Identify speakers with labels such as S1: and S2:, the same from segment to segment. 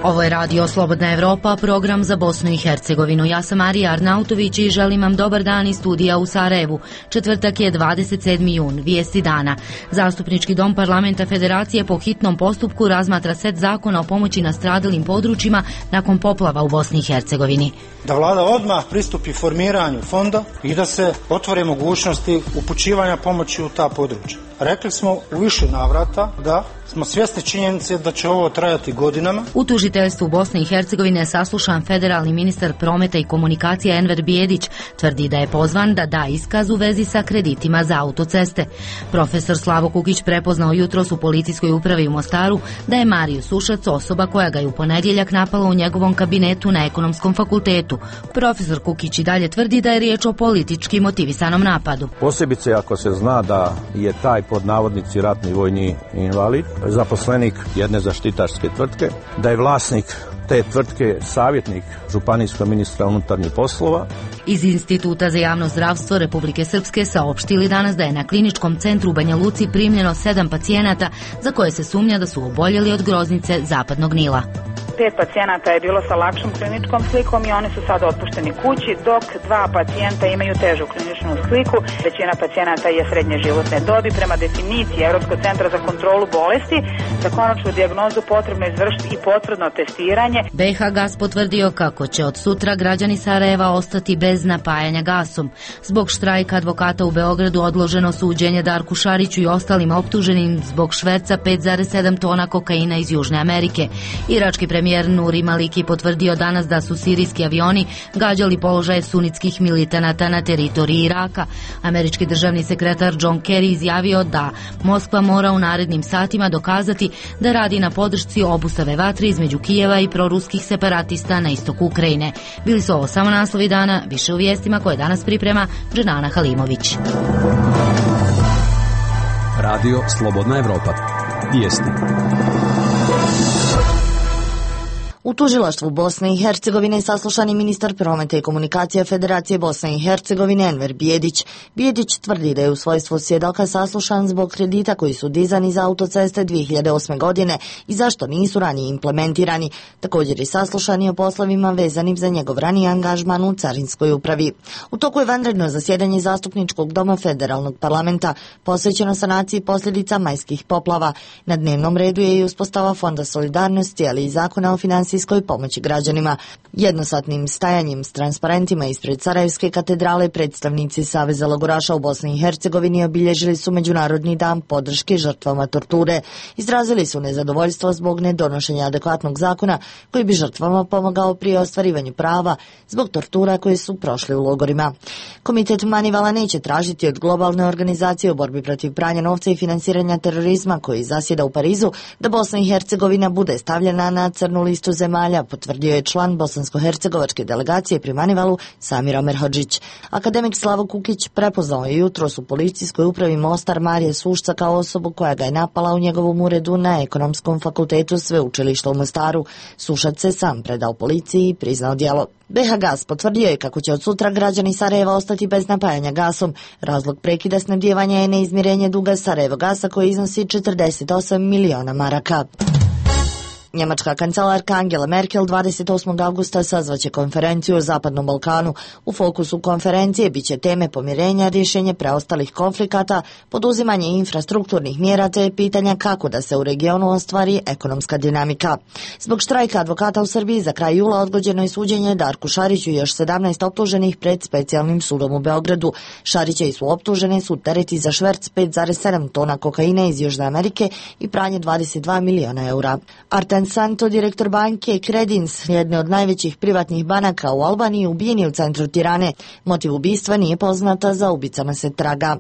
S1: Ovo je Radio Slobodna Evropa, program za Bosnu i Hercegovinu. Ja sam Marija Arnautović i želim vam dobar dan iz studija u Sarajevu. Četvrtak je 27. jun, vijesti dana. Zastupnički dom Parlamenta Federacije po hitnom postupku razmatra set zakona o pomoći nastradalim područjima nakon poplava u Bosni i Hercegovini.
S2: Da vlada odmah pristupi formiranju fonda i da se otvore mogućnosti upućivanja pomoći u ta područja. Rekli smo u više navrata da smo svjesni činjenice da će ovo trajati godinama.
S1: U tužiteljstvu Bosne i Hercegovine je saslušan federalni ministar prometa i komunikacija Enver Bijedić. Tvrdi da je pozvan da da iskaz u vezi sa kreditima za autoceste. Profesor Slavo Kukić prepoznao jutros u policijskoj upravi u Mostaru da je Mario Sušac osoba koja ga je u ponedjeljak napala u njegovom kabinetu na Ekonomskom fakultetu. Profesor Kukić i dalje tvrdi da je riječ o politički motivisanom napadu.
S3: Posebice ako se zna da je taj pod navodnici ratni vojni invalid, zaposlenik jedne zaštitarske tvrtke, da je vlasnik te tvrtke savjetnik županijskog ministra unutarnjih poslova.
S1: Iz Instituta za javno zdravstvo Republike Srpske saopštili danas da je na kliničkom centru u Banja Luci primljeno 7 pacijenata za koje se sumnja da su oboljeli od groznice zapadnog Nila.
S4: 5 pacijenata je bilo sa lakšom kliničkom slikom i oni su sada otpušteni kući, dok 2 pacijenta imaju težu kliničnu sliku. Većina pacijenata je srednje životne dobi. Prema definiciji Europskog centra za kontrolu bolesti, za konačnu dijagnozu potrebno izvršiti i potvrdno testiranje.
S1: BiH Gas potvrdio kako će od sutra građani Sarajeva ostati bez napajanja gasom. Zbog štrajka advokata u Beogradu odloženo suđenje Darku Šariću i ostalim optuženim zbog šverca 5,7 tona kokaina iz Južne Amerike. Irački premijer Nuri Maliki potvrdio danas da su sirijski avioni gađali položaje sunitskih militanata na teritoriji Iraka. Američki državni sekretar John Kerry izjavio da Moskva mora u narednim satima dokazati da radi na podršci obustave vatre između Kijeva i proruskih separatista na istoku Ukrajine. Bili su ovo samo naslovi dana, više u vijestima koje danas priprema Dženana Halimović.
S5: Radio Slobodna Evropa. Vijesti.
S6: U tužilaštvu Bosne i Hercegovine saslušan je ministar prometa i komunikacija Federacije Bosne i Hercegovine Enver Bijedić. Bijedić tvrdi da je u svojstvu svjedoka saslušan zbog kredita koji su dizani za autoceste 2008. godine i zašto nisu ranije implementirani. Također je saslušan i o poslovima vezanim za njegov raniji angažman u carinskoj upravi. U toku je vanredno zasjedanje zastupničkog doma Federalnog parlamenta posvećeno sanaciji posljedica majskih poplava. Na dnevnom redu je i uspostava Fonda solidarnosti, ali i zakona o financijskoj pomoći građanima. Jednosatnim stajanjem s transparentima ispred Sarajevske katedrale predstavnici Saveza logoraša u Bosni i Hercegovini obilježili su Međunarodni dan podrške žrtvama torture. Izrazili su nezadovoljstvo zbog nedonošenja adekvatnog zakona koji bi žrtvama pomogao pri ostvarivanju prava zbog tortura koje su prošli u logorima. Komitet Manivala neće tražiti od globalne organizacije u borbi protiv pranja novca i finansiranja terorizma koji zasjeda u Parizu da Bosna i Hercegovina bude stavljena na crnu listu zemalja, potvrdio je član bosansko-hercegovačke delegacije pri Manivalu Samir Omerhodžić. Akademik Slavo Kukić prepoznao je jutros u policijskoj upravi Mostar Marija Sušca kao osobu koja ga je napala u njegovom uredu na Ekonomskom fakultetu sveučilišta u Mostaru. Sušac se sam predao policiji i priznao djelo. BiH Gas potvrdio je kako će od sutra građani Sarajeva ostati bez napajanja gasom. Razlog prekida snabdijevanja je neizmirenje duga Sarajevo Gasa koji iznosi 48 miliona maraka. Njemačka kancelarka Angela Merkel 28. avgusta sazvaće konferenciju o Zapadnom Balkanu. U fokusu konferencije biće teme pomirenja, rješenje preostalih konflikata, poduzimanje infrastrukturnih mjera te pitanja kako da se u regionu ostvari ekonomska dinamika. Zbog štrajka advokata u Srbiji za kraj jula odgođeno je suđenje Darku Šariću i još 17 optuženih pred specijalnim sudom u Beogradu. Šarića su optužene su tereti za šverc 5,7 tona kokaina iz Južne Amerike i pranje 22 miliona eura. Arten Santo, direktor banke Credins, jedne od najvećih privatnih banaka u Albaniji, ubijen je u centru Tirane. Motiv ubistva nije poznata, za ubicama se traga.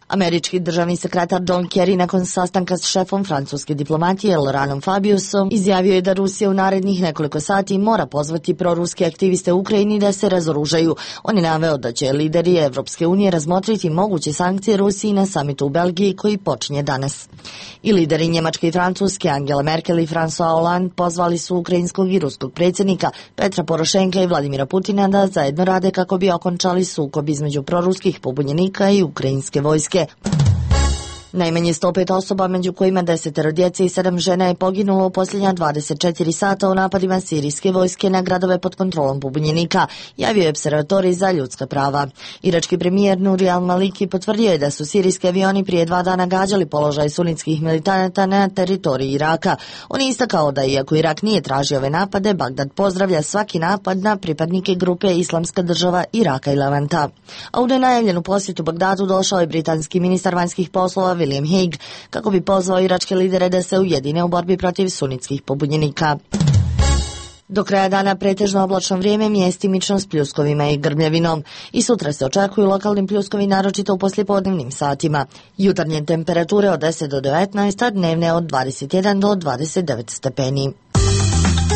S6: Američki državni sekretar John Kerry nakon sastanka s šefom francuske diplomatije Lauranom Fabiusom izjavio je da Rusija u narednih nekoliko sati mora pozvati proruske aktiviste u Ukrajini da se razoružaju. On je naveo da će lideri Evropske unije razmotriti moguće sankcije Rusiji na samitu u Belgiji koji počinje danas. I lideri Njemačke i Francuske Angela Merkel i François Hollande pozvali su ukrajinskog i ruskog predsjednika Petra Porošenka i Vladimira Putina da zajedno rade kako bi okončali sukob između proruskih pobunjenika i ukrajinske vojske. Najmanje 105 osoba, među kojima 10 djece i 7 žena, je poginulo u posljednja 24 sata u napadima sirijske vojske na gradove pod kontrolom pobunjenika, javio je Opservatorij za ljudska prava. Irački premijer Nuri al-Maliki potvrdio je da su sirijski avioni prije 2 dana gađali položaj sunitskih militanata na teritoriji Iraka. On je istakao da iako Irak nije tražio ove napade, Bagdad pozdravlja svaki napad na pripadnike grupe Islamska država Iraka i Levanta. A u nenajavljenu posjetu Bagdadu došao je britanski ministar vanjskih poslova William Hague kako bi pozvao iračke lidere da se ujedine u borbi protiv sunitskih pobunjenika. Do kraja dana pretežno oblačno vrijeme, mjestimično s pljuskovima i grmljavinom. I sutra se očekuju lokalni pljuskovi, naročito u poslijepodnevnim satima. Jutarnje temperature od 10 do 19, a dnevne od 21 do 29 stepeni.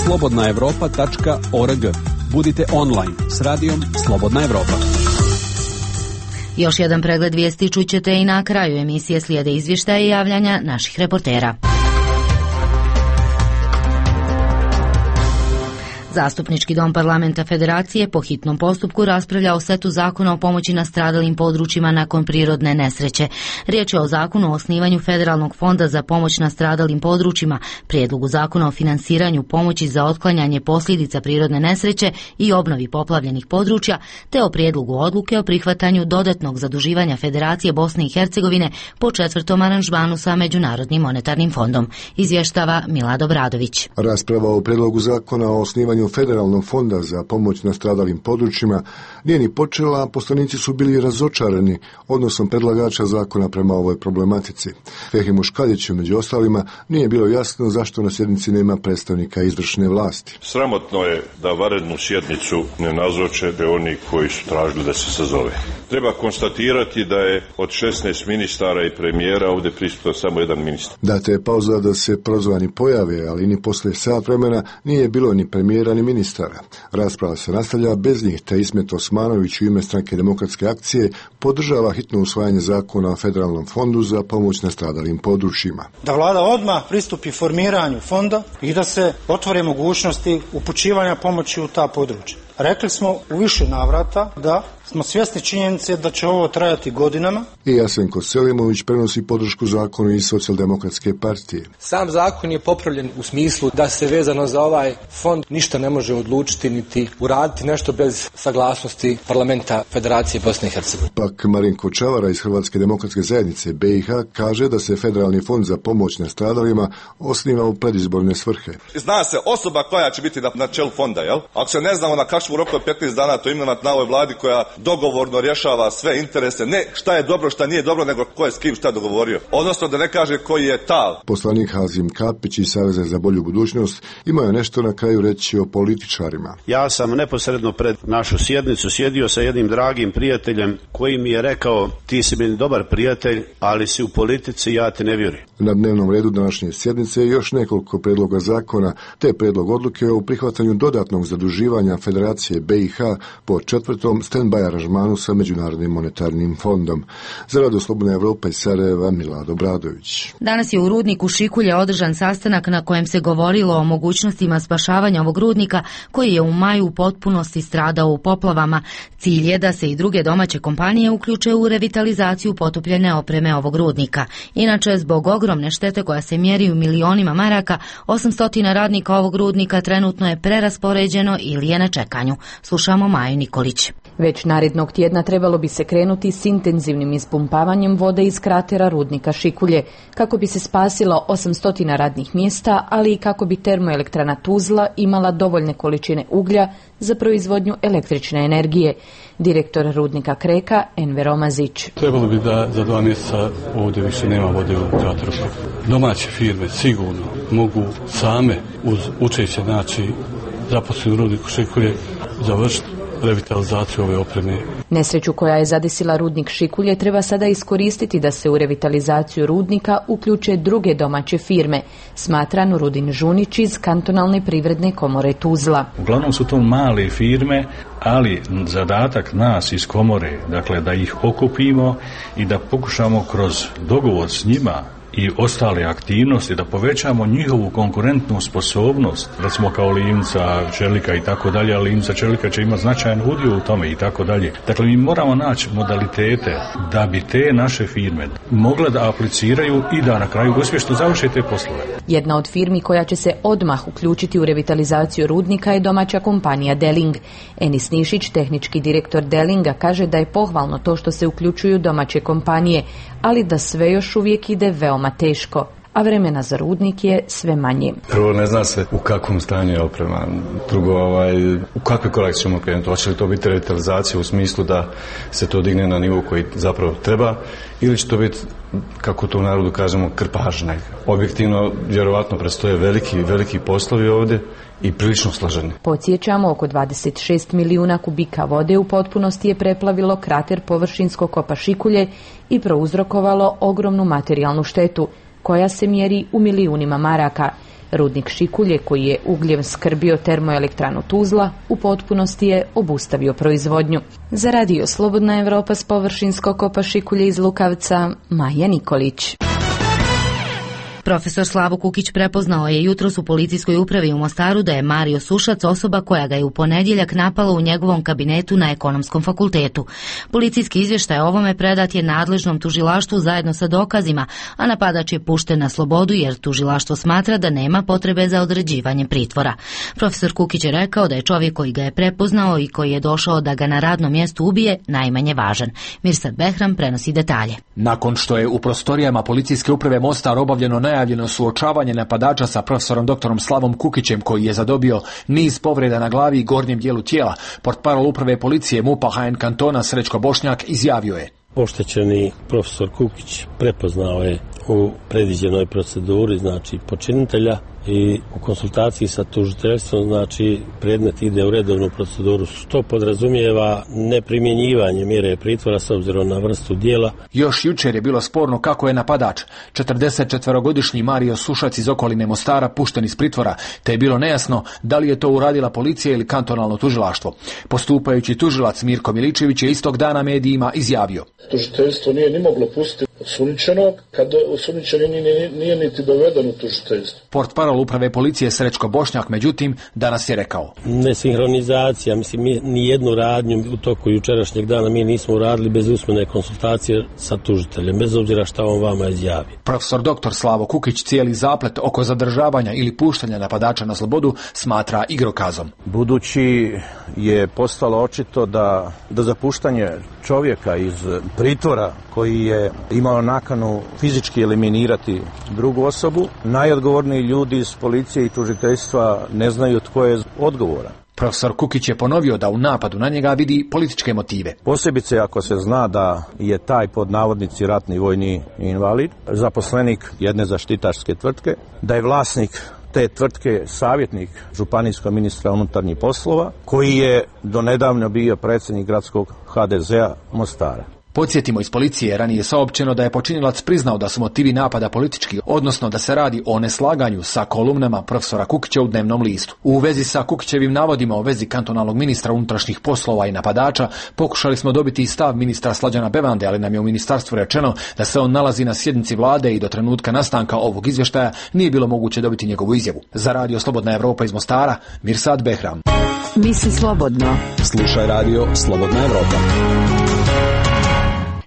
S5: Slobodnaevropa.org. Budite online s radijom Slobodna Evropa.
S1: Još jedan pregled vijesti čućete i na kraju emisije, slijede izvještaje i javljanja naših reportera. Zastupnički dom Parlamenta Federacije po hitnom postupku raspravlja o setu zakona o pomoći nastradalim područjima nakon prirodne nesreće. Riječ je o zakonu o osnivanju Federalnog fonda za pomoć nastradalim područjima, prijedlogu zakona o finansiranju pomoći za otklanjanje posljedica prirodne nesreće i obnovi poplavljenih područja, te o prijedlogu odluke o prihvatanju dodatnog zaduživanja Federacije Bosne i Hercegovine po 4. aranžmanu sa Međunarodnim monetarnim fondom. Izvještava Milad Obradović.
S7: Rasprava o prijedlogu zakona o osnivanju Federalnog fonda za pomoć nastradalim područjima nije ni počela, a poslanici su bili razočarani odnosom predlagača zakona prema ovoj problematici. Fehimu Škaljiću, među ostalima, nije bilo jasno zašto na sjednici nema predstavnika izvršne vlasti.
S8: Sramotno je da vanrednu sjednicu ne nazoče oni koji su tražili da se sazove. Treba konstatirati da je od 16 ministara i premijera ovdje prisutno samo jedan ministar.
S7: Data je pauza da se prozvani pojave, ali ni posle sat vremena nije bilo ni premijera ni ministara. Rasprava se nastavlja bez njih, te Ismet Osmanović u ime Stranke demokratske akcije podržava hitno usvajanje zakona o Federalnom fondu za pomoć nastradalim područjima.
S2: Da vlada odmah pristupi formiranju fonda i da se otvore mogućnosti upućivanja pomoći u ta područja. Rekli smo u više navrata da smo svjesni činjenice da će ovo trajati godinama.
S7: I Jasenko Selimović prenosi podršku zakonu iz Socijaldemokratske partije.
S9: Sam zakon je popravljen u smislu da se vezano za ovaj fond ništa ne može odlučiti niti uraditi nešto bez saglasnosti Parlamenta Federacije Bosne i Hercegovine.
S7: Pak Marinko Čavara iz Hrvatske demokratske zajednice BiH kaže da se Federalni fond za pomoć nastradalima osniva u predizborne svrhe.
S10: Zna se osoba koja će biti na čelu fonda, jel? Ako se ne znamo na kakvom roku od 15 dana to imenovat na ovoj vladi koja dogovorno rješava sve interese, ne šta je dobro, šta nije dobro, nego ko je s kim šta dogovorio. Odnosno da ne kaže koji je tal.
S7: Poslanik Hazim Kapić iz Saveza za bolju budućnost imao nešto na kraju reći o političarima.
S3: Ja sam neposredno pred našu sjednicu sjedio sa jednim dragim prijateljem koji mi je rekao: ti si meni dobar prijatelj, ali si u politici, ja te ne vjerujem.
S7: Na dnevnom redu današnje sjednice je još nekoliko predloga zakona, te predlog odluke o prihvatanju dodatnog zaduživanja Federacije BiH po 4. stand-by aranžmanu sa Međunarodnim monetarnim fondom. Za Radio Slobodna Evropa iz Sarajeva, Milad Obradović.
S1: Danas je u rudniku Šikulje održan sastanak na kojem se govorilo o mogućnostima spašavanja ovog rudnika koji je u maju u potpunosti stradao u poplavama. Cilj je da se i druge domaće kompanije uključe u revitalizaciju potopljene opreme ovog rudnika. Inače, zbog ogromne štete koja se mjeri u milionima maraka, 800 radnika ovog rudnika trenutno je preraspoređeno ili je na čekanju. Slušamo Maju Nikolić.
S11: Već narednog tjedna trebalo bi se krenuti s intenzivnim ispumpavanjem vode iz kratera rudnika Šikulje, kako bi se spasilo 800 radnih mjesta, ali i kako bi termoelektrana Tuzla imala dovoljne količine uglja za proizvodnju električne energije. Direktor rudnika Kreka, Enver Omazić.
S12: Trebalo bi da za 2 mjeseca ovdje više nema vode u krateru. Domaće firme sigurno mogu same uz učešće zaposleni u rudniku Šikulje završiti revitalizaciju ove opreme.
S11: Nesreću koja je zadesila rudnik Šikulje treba sada iskoristiti da se u revitalizaciju rudnika uključe druge domaće firme, smatra Nurudin Žunić iz Kantonalne privredne komore Tuzla.
S13: Uglavnom su to male firme, ali zadatak nas iz komore, dakle da ih okupimo i da pokušamo kroz dogovor s njima i ostale aktivnosti, da povećamo njihovu konkurentnu sposobnost, recimo kao Limca, Čelika i tako dalje, ali Limca, Čelika će imati značajan udio u tome i tako dalje. Dakle, mi moramo naći modalitete da bi te naše firme mogle da apliciraju i da na kraju uspješno završe te poslove.
S11: Jedna od firmi koja će se odmah uključiti u revitalizaciju rudnika je domaća kompanija Deling. Enis Nišić, tehnički direktor Delinga, kaže da je pohvalno to što se uključuju domaće kompanije, ali da sve još uvijek ide veoma teško, a vremena za rudnik je sve manje.
S14: Prvo, ne zna se u kakvom stanju je oprema. Drugo, u kakve korake ćemo krenuti. Hoće li to biti revitalizacija u smislu da se to digne na nivo koji zapravo treba, ili će to biti, kako to u narodu kažemo, krpažna. Objektivno, vjerovatno predstoje veliki poslovi ovdje i prilično složeni.
S11: Podsjećamo, oko 26 milijuna kubika vode u potpunosti je preplavilo krater površinskog kopa Šikulje i prouzrokovalo ogromnu materijalnu štetu, koja se mjeri u milijunima maraka. Rudnik Šikulje, koji je ugljem skrbio termoelektranu Tuzla, u potpunosti je obustavio proizvodnju. Za Radio Slobodna Evropa s površinskog kopa Šikulje iz Lukavca, Maja Nikolić.
S1: Profesor Slavo Kukić prepoznao je jutros u policijskoj upravi u Mostaru da je Mario Sušac osoba koja ga je u ponedjeljak napala u njegovom kabinetu na Ekonomskom fakultetu. Policijski izvještaj o ovome predat je nadležnom tužilaštvu zajedno sa dokazima, a napadač je pušten na slobodu jer tužilaštvo smatra da nema potrebe za određivanje pritvora. Profesor Kukić je rekao da je čovjek koji ga je prepoznao i koji je došao da ga na radnom mjestu ubije najmanje važan. Mirsad Behram prenosi detalje.
S15: Nakon što je u prostorijama policijske uprave Mostar obavljeno najavljeno suočavanje napadača sa profesorom doktorom Slavom Kukićem, koji je zadobio niz povreda na glavi i gornjem dijelu tijela, portparol uprave policije MUP-a HN kantona Srećko Bošnjak izjavio je:
S16: Oštećeni profesor Kukić prepoznao je u predviđenoj proceduri, znači počinitelja, i u konsultaciji sa tužiteljstvom, znači predmet ide u redovnu proceduru, što podrazumijeva neprimjenjivanje mjere pritvora s obzirom na vrstu djela.
S15: Još jučer je bilo sporno kako je napadač, 44-godišnji Mario Sušac iz okoline Mostara, pušten iz pritvora, te je bilo nejasno da li je to uradila policija ili kantonalno tužilaštvo. Postupajući tužilac Mirko Miličević je istog dana medijima izjavio:
S17: Tužiteljstvo nije ni moglo pustiti osumnjičenog kad osumnjičeni nije niti doveden u tužiteljstvo.
S15: Portparol uprave policije Srećko Bošnjak, međutim, danas je rekao:
S16: Nesinhronizacija, mislim, ni jednu radnju u toku jučerašnjeg dana mi nismo uradili bez usmene konsultacije sa tužiteljem, bez obzira šta on vama izjavi.
S15: Profesor dr. Slavo Kukić cijeli zaplet oko zadržavanja ili puštanja napadača na slobodu smatra igrokazom.
S3: Budući je postalo očito da za puštanje čovjeka iz pritvora koji je imao nakanu fizički eliminirati drugu osobu, najodgovorniji ljudi iz policije i tužiteljstva ne znaju tko je odgovoran.
S15: Profesor Kukić je ponovio da u napadu na njega vidi političke motive.
S3: Posebice ako se zna da je taj pod navodnici ratni vojni invalid, zaposlenik jedne zaštitarske tvrtke, da je vlasnik te tvrtke savjetnik županijskog ministra unutarnjih poslova, koji je donedavno bio predsjednik gradskog HDZ-a Mostara.
S15: Podsjetimo, iz policije ranije saopćeno da je počinilac priznao da su motivi napada politički, odnosno da se radi o neslaganju sa kolumnama profesora Kukića u dnevnom listu. U vezi sa Kukićevim navodima o vezi kantonalnog ministra unutrašnjih poslova i napadača pokušali smo dobiti i stav ministra Slađana Bevande, ali nam je u ministarstvu rečeno da se on nalazi na sjednici vlade i do trenutka nastanka ovog izvještaja nije bilo moguće dobiti njegovu izjavu. Za Radio Slobodna Evropa iz Mostara, Mirsad Behram.
S18: Misli slobodno.
S5: Slušaj Radio Slobodna Evropa.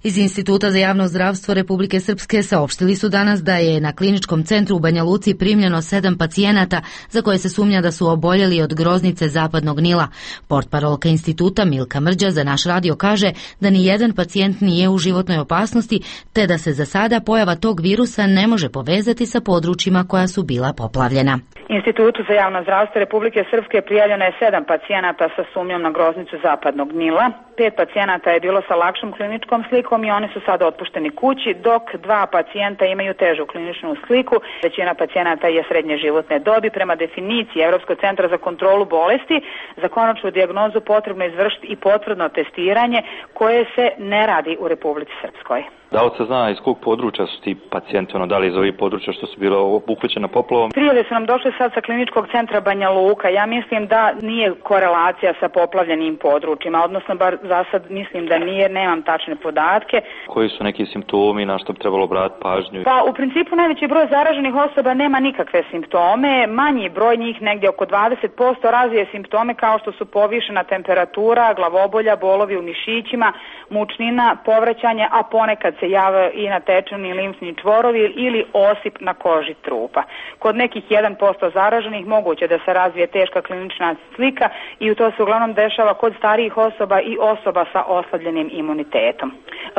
S1: Iz Instituta za javno zdravstvo Republike Srpske saopštili su danas da je na kliničkom centru u Banja Luci primljeno 7 pacijenata za koje se sumnja da su oboljeli od groznice zapadnog Nila. Portparolka instituta Milka Mrđa za naš radio kaže da ni jedan pacijent nije u životnoj opasnosti, te da se za sada pojava tog virusa ne može povezati sa područjima koja su bila poplavljena.
S4: Institutu za javno zdravstvo Republike Srpske prijavljeno je 7 pacijenata sa sumnjom na groznicu zapadnog Nila. 5 pacijenata je bilo sa lakšom kliničkom slikom i oni su sada otpušteni kući, dok 2 pacijenta imaju težu kliničnu sliku. Većina pacijenata je srednje životne dobi. Prema definiciji Europskog centra za kontrolu bolesti, za konačnu dijagnozu potrebno izvršiti i potvrdno testiranje koje se ne radi u Republici Srpskoj.
S19: Da li se zna iz kog područja su ti pacijenti, da li iz ovih područja što su bilo obuhvaćena poplavom?
S4: Prijave su nam došle sad sa kliničkog centra Banja Luka. Ja mislim da nije korelacija sa poplavljenim područjima, odnosno bar za sad mislim da nije, nemam tačne podatke.
S19: Koji su neki simptomi na što bi trebalo obratiti pažnju?
S4: Pa u principu najveći broj zaraženih osoba nema nikakve simptome, manji broj njih negdje oko 20% razvije simptome kao što su povišena temperatura, glavobolja, bolovi u mišićima, mučnina, povraćanje, a ponekad se jave i natečeni limfni čvorovi ili osip na koži trupa. Kod nekih 1% zaraženih moguće da se razvije teška klinična slika i to se uglavnom dešava kod starijih osoba i osoba sa oslabljenim imunitetom.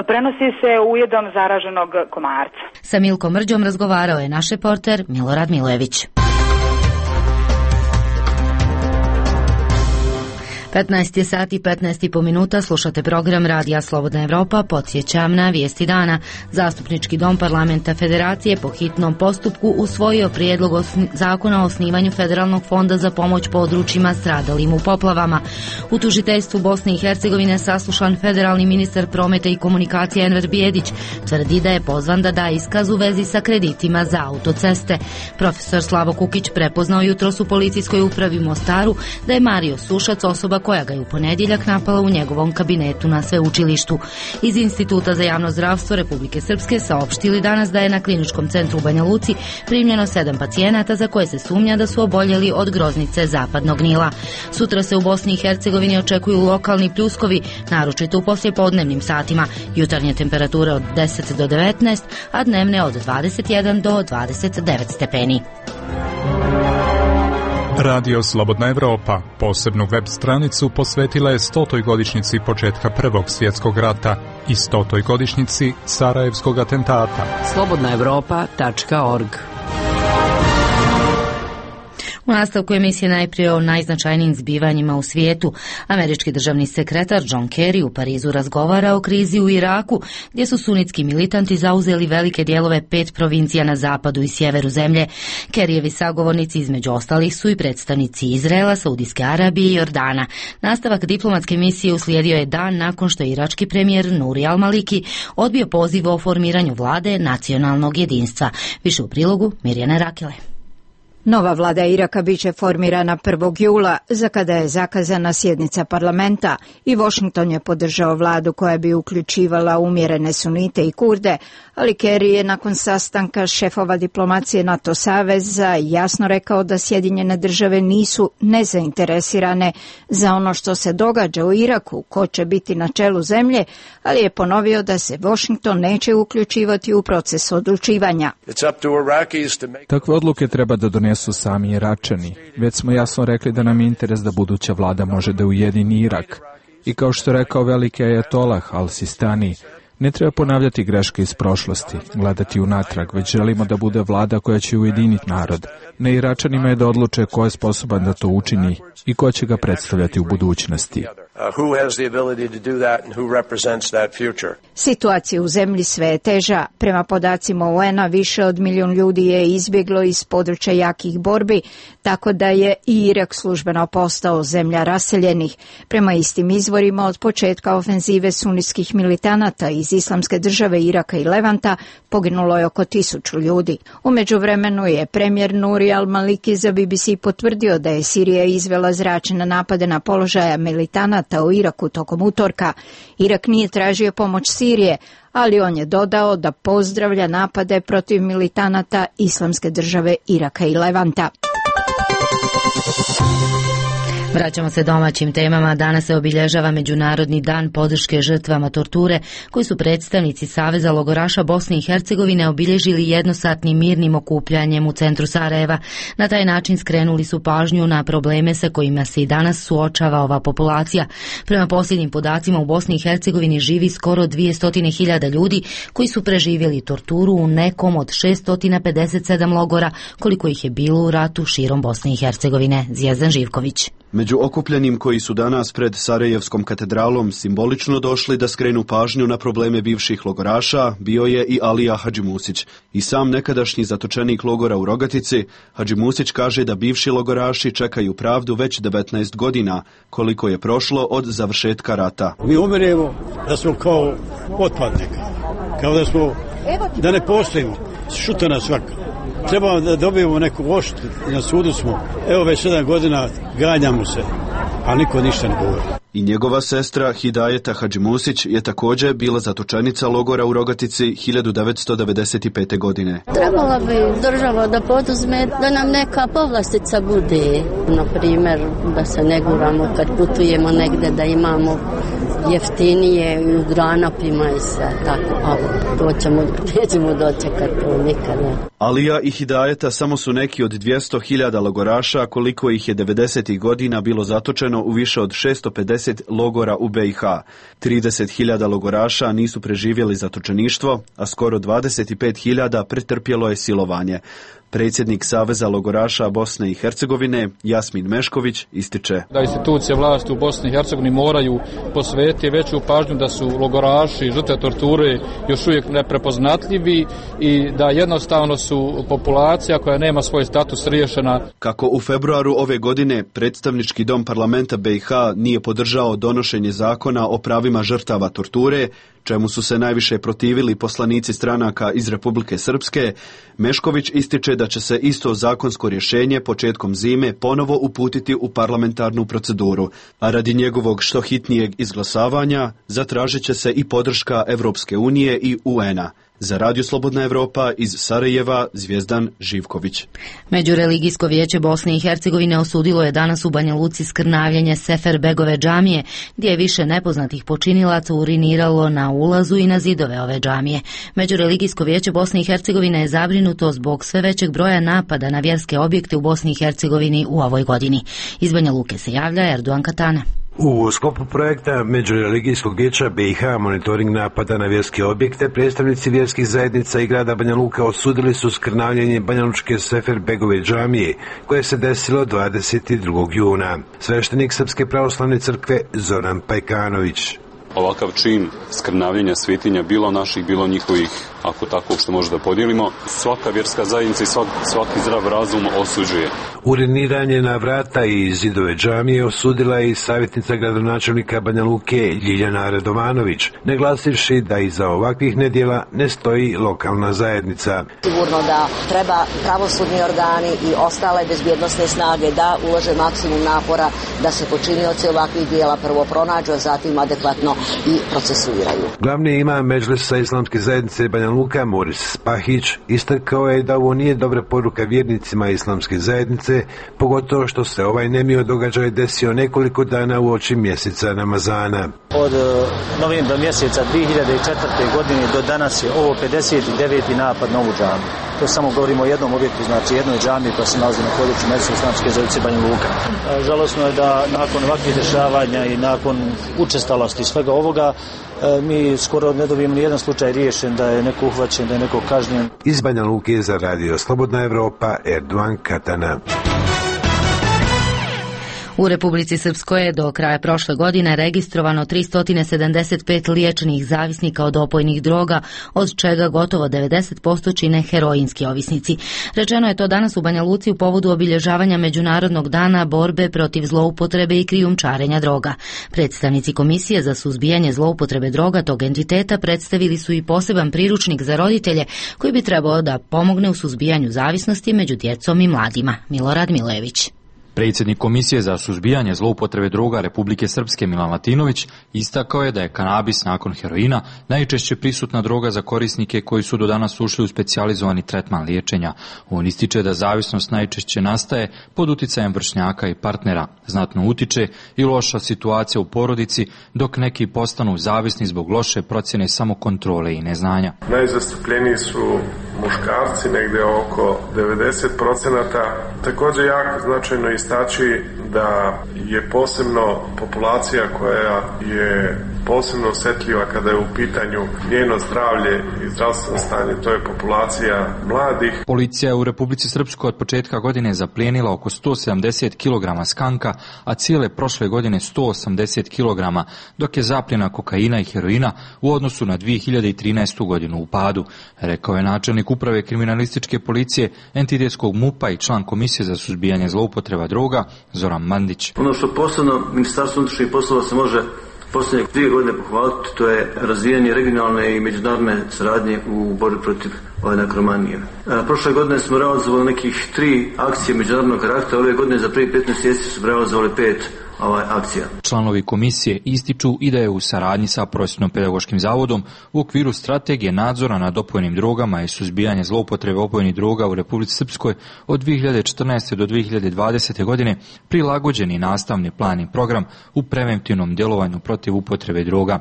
S4: Prenosi se ujedom zaraženog komarca.
S1: Sa Milkom Mrđom razgovarao je naš reporter Milorad Milojević. 15 sati 15 minuta, slušate program Radija Slobodna Evropa. Podsjećam na vijesti dana. Zastupnički dom Parlamenta Federacije po hitnom postupku usvojio prijedlog zakona o osnivanju Federalnog fonda za pomoć područjima stradalim u poplavama. U tužiteljstvu Bosne i Hercegovine saslušan federalni ministar prometa i komunikacije Enver Bijedić tvrdi da je pozvan da da iskaz u vezi sa kreditima za autoceste. Profesor Slavo Kukić prepoznao jutros u policijskoj upravi u Mostaru da je Mario Sušac osoba koja ga je u ponedjeljak napala u njegovom kabinetu na sveučilištu. Iz Instituta za javno zdravstvo Republike Srpske saopštili danas da je na kliničkom centru u Banja Luci primljeno 7 pacijenata za koje se sumnja da su oboljeli od groznice zapadnog Nila. Sutra se u Bosni i Hercegovini očekuju lokalni pljuskovi, naročito u poslijepodnevnim satima. Jutarnje temperature od 10 do 19, a dnevne od 21 do 29 stepeni.
S20: Radio Slobodna Evropa posebnu web stranicu posvetila je 100. godišnjici početka Prvog svjetskog rata i 100. godišnjici Sarajevskog atentata.
S18: slobodnaevropa.org.
S1: U nastavku emisije najprije o najznačajnijim zbivanjima u svijetu. Američki državni sekretar John Kerry u Parizu razgovara o krizi u Iraku, gdje su sunitski militanti zauzeli velike dijelove 5 provincija na zapadu i sjeveru zemlje. Kerryevi sagovornici između ostalih su i predstavnici Izraela, Saudijske Arabije i Jordana. Nastavak diplomatske misije uslijedio je dan nakon što je irački premijer Nuri al-Maliki odbio poziv o formiranju vlade nacionalnog jedinstva. Više u prilogu Mirjana Rakele.
S21: Nova vlada Iraka biće formirana 1. jula, za kada je zakazana sjednica parlamenta, i Washington je podržao vladu koja bi uključivala umjerene sunite i kurde, ali Kerry je nakon sastanka šefova diplomacije NATO saveza jasno rekao da Sjedinjene države nisu nezainteresirane za ono što se događa u Iraku, ko će biti na čelu zemlje, ali je ponovio da se Washington neće uključivati u proces odlučivanja.
S22: Takve odluke treba da donesu sami Iračani. Već smo jasno rekli da nam je interes da buduća vlada može da ujedini Irak. I kao što je rekao veliki ajatolah Al-Sistani, ne treba ponavljati greške iz prošlosti, gledati unatrag, već želimo da bude vlada koja će ujediniti narod. Na Iračanima je da odluče ko je sposoban da to učini i ko će ga predstavljati u budućnosti.
S21: Situacija u zemlji sve je teža. Prema podacima UN-a više od 1 milijun ljudi je izbjeglo iz područja jakih borbi, tako da je i Irak službeno postao zemlja raseljenih. Prema istim izvorima, od početka ofenzive sunitskih militanata iz Islamske države Iraka i Levanta poginulo je oko 1000 ljudi. U međuvremenu je premijer Nuri al-Maliki za BBC potvrdio da je Sirija izvela zračne napade na položaja militanata u Iraku tokom utorka. Irak nije tražio pomoć Sirije, ali on je dodao da pozdravlja napade protiv militanata Islamske države Iraka i Levanta.
S1: Vraćamo se domaćim temama. Danas se obilježava Međunarodni dan podrške žrtvama torture, koji su predstavnici Saveza logoraša Bosne i Hercegovine obilježili jednosatnim mirnim okupljanjem u centru Sarajeva. Na taj način skrenuli su pažnju na probleme sa kojima se i danas suočava ova populacija. Prema posljednjim podacima u Bosni i Hercegovini živi skoro 200.000 ljudi koji su preživjeli torturu u nekom od 657 logora, koliko ih je bilo u ratu širom Bosne i Hercegovine. Zvijezdan Živković.
S23: Među okupljenim koji su danas pred Sarajevskom katedralom simbolično došli da skrenu pažnju na probleme bivših logoraša bio je i Alija Hadžimusić. I sam nekadašnji zatočenik logora u Rogatici, Hadžimusić kaže da bivši logoraši čekaju pravdu već 19 godina, koliko je prošlo od završetka rata.
S24: Mi umiremo da smo kao otpadnika.
S2: kao da ne postojimo, šuta nas svaka. Trebamo da dobijemo neku odštetu, na sudu smo, evo već 7 godina ganjamo se, a niko ništa ne govori.
S23: I njegova sestra Hidajeta Hadžimusić je također bila zatočenica logora u Rogatici 1995. godine.
S6: Trebala bi država da poduzme da nam neka povlastica bude. Na primjer, da se ne guramo kad putujemo negde, da imamo jeftinije i u granapima i sve tako. Ali nećemo dočekati to nikada.
S23: Alija i Hidajeta samo su neki od 200.000 logoraša, koliko ih je 90. godina bilo zatočeno u više od 650 logora u BiH. 30.000 logoraša nisu preživjeli zatočeništvo, a skoro 25.000 pretrpjelo je silovanje. Predsjednik Saveza logoraša Bosne i Hercegovine, Jasmin Mešković, ističe
S8: da institucije vlasti u Bosni i Hercegovini moraju posvetiti veću pažnju da su logoraši, žrtve torture još uvijek neprepoznatljivi i da jednostavno su populacija koja nema svoj status riješena.
S23: Kako u februaru ove godine predstavnički dom parlamenta BiH nije podržao donošenje zakona o pravima žrtava torture, čemu su se najviše protivili poslanici stranaka iz Republike Srpske, Mešković ističe da će se isto zakonsko rješenje početkom zime ponovo uputiti u parlamentarnu proceduru, a radi njegovog što hitnijeg izglasavanja zatražit će se i podrška Evropske unije i UN-a. Za Radio Slobodna Evropa iz Sarajeva, Zvijezdan Živković.
S1: Međureligijsko vijeće Bosne i Hercegovine osudilo je danas u Banja Luci skrnavljenje Seferbegove džamije, gdje je više nepoznatih počinilaca uriniralo na ulazu i na zidove ove džamije. Međureligijsko vijeće Bosne i Hercegovine je zabrinuto zbog sve većeg broja napada na vjerske objekte u Bosni i Hercegovini u ovoj godini. Iz Banja Luke se javlja Erdogan Katana.
S24: U sklopu projekta Međureligijskog vijeća BiH monitoring napada na vjerske objekte, predstavnici vjerskih zajednica i grada Banja Luka osudili su skrnavljenje banjalučke Seferbegove džamije, koje se desilo 22. juna. Sveštenik Srpske pravoslavne crkve Zoran Pajkanović.
S25: Ovakav čin skrnavljenja svetinja, bilo naših, bilo njihovih, ako tako što možda podijelimo, svaka vjerska zajednica i svaki zdrav razum osuđuje.
S24: Uriniranje na vrata i zidove džamije osudila je i savjetnica gradonačelnika Banja Luke Ljiljana Radovanović, naglasivši da iza ovakvih nedjela ne stoji lokalna zajednica.
S26: Sigurno da treba pravosudni organi i ostale bezbjednosne snage da ulože maksimum napora da se počinioci ovakvih dijela prvo pronađu, a zatim adekvatno i procesuiraju.
S24: Glavni imam Medžlisa Islamske zajednice Banja Luka, Moris Spahić, istakao je da ovo nije dobra poruka vjernicima Islamske zajednice, pogotovo što se ovaj nemio događaj desio nekoliko dana u oči mjeseca Ramazana.
S27: Od novembra mjeseca 2004. godine do danas je ovo 59. napad na ovu džamiju. To samo govorimo o jednom objektu, znači jednoj džamiji koja se nalazi na području Medžlisa Islamske zajednice Banja Luka. Žalosno je da nakon ovakvih dešavanja i nakon učestalosti svega ovoga mi skoro ne dobijemo ni jedan slučaj riješen, da je neko uhvaćen, da je neko kažnjen.
S24: Iz Banja Luke za Radio Slobodna Evropa, Erdogan Katana.
S1: U Republici Srpskoj je do kraja prošle godine registrovano 375 liječenih zavisnika od opojnih droga, od čega gotovo 90% čine heroinski ovisnici. Rečeno je to danas u Banja Luci u povodu obilježavanja Međunarodnog dana borbe protiv zloupotrebe i krijumčarenja droga. Predstavnici Komisije za suzbijanje zloupotrebe droga tog entiteta predstavili su i poseban priručnik za roditelje koji bi trebao da pomogne u suzbijanju zavisnosti među djecom i mladima. Milorad Milojević.
S28: Predsjednik Komisije za suzbijanje zloupotrebe droga Republike Srpske Milan Latinović istakao je da je kanabis nakon heroina najčešće prisutna droga za korisnike koji su do danas ušli u specijalizovani tretman liječenja. On ističe da zavisnost najčešće nastaje pod uticajem vršnjaka i partnera. Znatno utiče i loša situacija u porodici, dok neki postanu zavisni zbog loše procjene samokontrole i neznanja.
S29: Najzastupljeniji su muškarci, negdje oko 90%. Također jako značajno istaći da je posebno populacija koja je posebno osjetljiva kada je u pitanju njeno zdravlje i zdravstveno stanje, to je populacija mladih.
S28: Policija je u Republici Srpskoj od početka godine zaplijenila oko 170 kg skanka, a cijele prošle godine 180 kg, dok je zapljena kokaina i heroina u odnosu na 2013. godinu u padu, rekao je načelnik uprave kriminalističke policije entitetskog MUP-a i član Komisije za suzbijanje zloupotreba droga Zoran Mandić.
S30: Ono što posebno Ministarstvo unutrašnjih poslova se može
S27: posljednje 2 godine pohvaliti, to je razvijanje regionalne i međunarodne saradnje u borbi protiv ove nekromanije. Prošle godine smo realizovali nekih 3 akcije međunarodnog karaktera, ove godine za prvi 15 mjeseci su realizovali 5 akcija.
S28: Članovi komisije ističu i da je u saradnji sa Prosvjetno-pedagoškim zavodom u okviru strategije nadzora nad opojnim drogama i suzbijanja zloupotrebe opojnih droga u Republici Srpskoj od 2014. do 2020. godine prilagođeni nastavni plan i program u preventivnom djelovanju protiv upotrebe droga.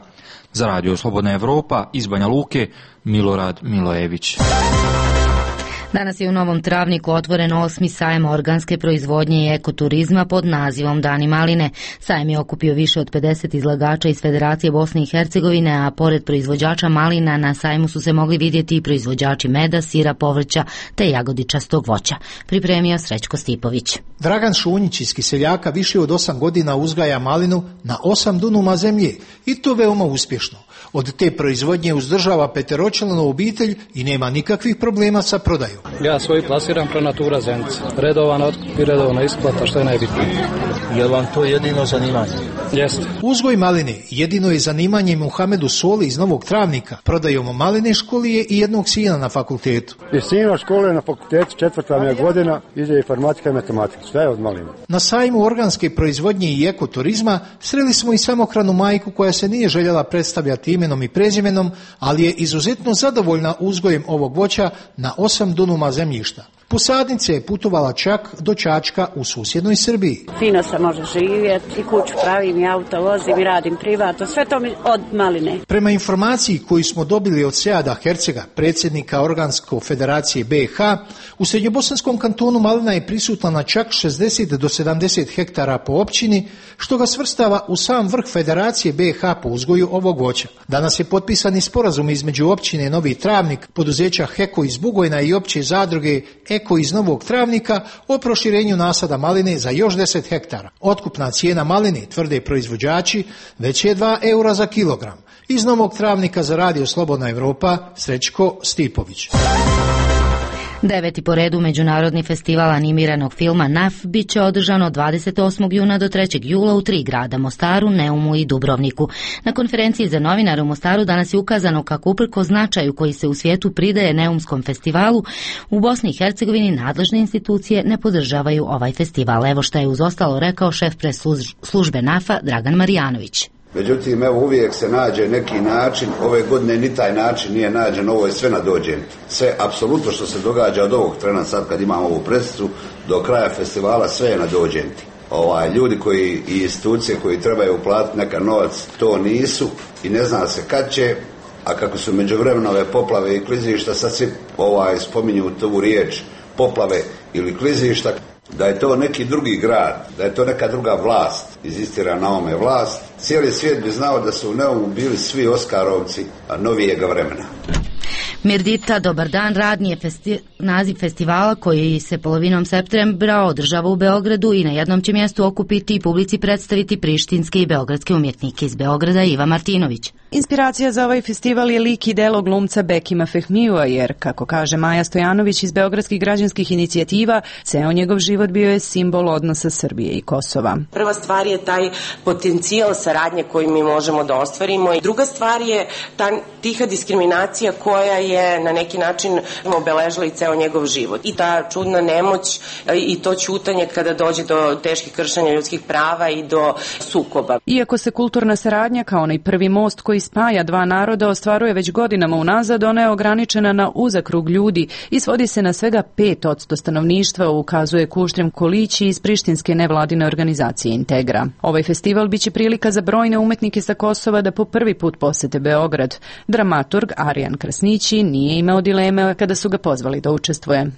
S28: Za Radio Slobodna Evropa iz Banja Luke, Milorad Milojević.
S1: Danas je u Novom Travniku otvoren 8. sajam organske proizvodnje i ekoturizma pod nazivom Dani maline. Sajam je okupio više od 50 izlagača iz Federacije Bosne i Hercegovine, a pored proizvođača malina na sajmu su se mogli vidjeti i proizvođači meda, sira, povrća te jagodičastog voća. Pripremio Srećko Stipović.
S7: Dragan Šunjić iz Kiseljaka više od 8 godina uzgaja malinu na 8 dunuma zemlje i to veoma uspješno. Od te proizvodnje uzdržava peteročlanu obitelj i nema nikakvih problema sa prodajom.
S9: Ja svoj plasiram pro Natura Zenica. Redovan otkup i redovna isplata, što je najbitnije.
S27: Je li vam to jedino zanimanje?
S9: Jeste.
S7: Uzgoj maline jedino je zanimanje Muhamedu Soli iz Novog Travnika. Prodajom maline školije i jednog sina na fakultetu.
S10: I sina škole na fakultetu, 4. mi je godina, ide informatika i matematika. Sve je od maline.
S7: Na sajmu organske proizvodnje i ekoturizma sreli smo i samohranu majku koja se nije željela predstavljati imenom i prezimenom, ali je izuzetno zadovoljna uzgojem ovog voća na 8 dunuma zemljišta. Posadnice je putovala čak do Čačka u susjednoj Srbiji.
S11: Fino se može živjeti, i kuću pravim, i auto vozim, i radim privatno, sve to mi od maline.
S7: Prema informaciji koju smo dobili od Seada Hercega, predsjednika Organsko federacije BiH, u Srednjobosanskom kantonu malina je prisutna na čak 60 do 70 hektara po općini, što ga svrstava u sam vrh Federacije BiH po uzgoju ovog voća. Danas je potpisani sporazum između općine Novi Travnik, poduzeća Heko iz Bugojna i opće zadruge Eko iz Novog Travnika o proširenju nasada maline za još 10 hektara. Otkupna cijena maline, tvrde proizvođači, već je 2 eura za kilogram. Iz Novog Travnika za Radio Slobodna Evropa, Srećko Stipović.
S1: 9. po redu Međunarodni festival animiranog filma NAF bit će održan od 28. juna do 3. jula u 3 grada, Mostaru, Neumu i Dubrovniku. Na konferenciji za novinare u Mostaru danas je ukazano kako uprkos značaju koji se u svijetu pridaje Neumskom festivalu, u Bosni i Hercegovini nadležne institucije ne podržavaju ovaj festival. Evo šta je uz ostalo rekao šef pres službe NAF-a Dragan Marijanović.
S12: Međutim, evo uvijek se nađe neki način, ove godine ni taj način nije nađen, ovo je sve nadođen. Sve, apsolutno što se događa od ovog trena sad kad imamo ovu presicu, do kraja festivala sve je nadođenti. Ljudi koji i institucije koji trebaju uplatiti neka novac, to nisu i ne zna se kad će, a kako su međuvremeno ove poplave i klizišta, sad svi spominju tu riječ poplave ili klizišta, da je to neki drugi grad, da je to neka druga vlast, inzistira na ovome vlast. Cijeli svijet bi znao da su u Neumu bili svi Oskarovci novijega vremena.
S1: Mirdita, dobar dan, radni je naziv festivala koji se polovinom septembra održava u Beogradu i na jednom će mjestu okupiti i publici predstaviti prištinske i beogradske umjetnike. Iz Beograda Iva Martinović.
S13: Inspiracija za ovaj festival je lik i delo glumca Bekima Fehmijua, jer, kako kaže Maja Stojanović iz Beogradskih građanskih inicijativa, ceo njegov život bio je simbol odnosa Srbije i Kosova.
S14: Prva stvar je taj potencijal saradnje koji mi možemo da ostvarimo. Druga stvar je ta tiha diskriminacija koja je na neki način obeležila i ceo njegov život. I ta čudna nemoć i to ćutanje kada dođe do teških kršenja ljudskih prava i do sukoba.
S13: Iako se kulturna saradnja kao onaj prvi most koji spaja dva naroda ostvaruje već godinama unazad, ona je ograničena na uzak krug ljudi i svodi se na svega 5% stanovništva, ukazuje Kuštrim Kolići iz prištinske nevladine organizacije Integra. Ovaj festival biće prilika za brojne umetnike sa Kosova da po prvi put posete Beograd. Dramaturg Arijan Krasnići nije imao dileme kada su ga pozvali da učestvuje.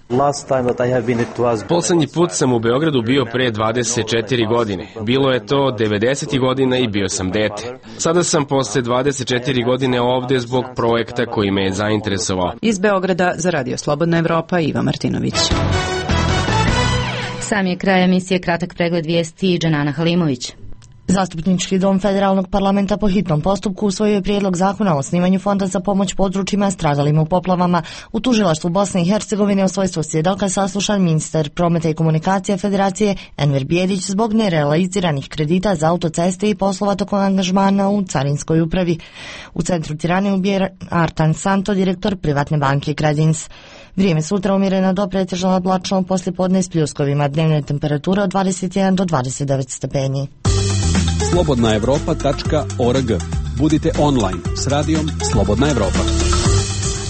S16: Poslednji put sam u Beogradu bio pre 24 godine. Bilo je to 90. godina i bio sam dete. Sada sam posle 24 godine ovde zbog projekta koji me je zainteresovao.
S13: Iz Beograda za Radio Slobodna Evropa Iva Martinović.
S1: Sam je kraj emisije, kratak pregled vijesti i Džanana Halimović.
S3: Zastupnički dom Federalnog parlamenta po hitnom postupku usvojio je prijedlog zakona o osnivanju fonda za pomoć područjima stradalim u poplavama. U tužilaštvu Bosne i Hercegovine u svojstvu svjedoka saslušan ministar prometa i komunikacije Federacije Enver Bijedić zbog nerealiziranih kredita za autoceste i poslova tokom angažmana u Carinskoj upravi. U centru Tirane ubije Artan Santo, direktor privatne banke Credins. Vrijeme sutra umjereno do pretežno oblačno, poslijepodne s pljuskovima, dnevne temperature od 21 do 29 stepeni.
S4: slobodnaevropa.org. Budite online s radijom Slobodna Evropa.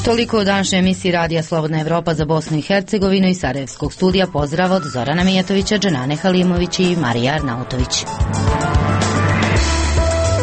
S1: Toliko u današnjoj emisiji Radija Slobodna Evropa za Bosnu i Hercegovinu i Sarajevskog studija. Pozdrav od Zorana Mijatovića, Dženane Halimović i Marija Arnautović.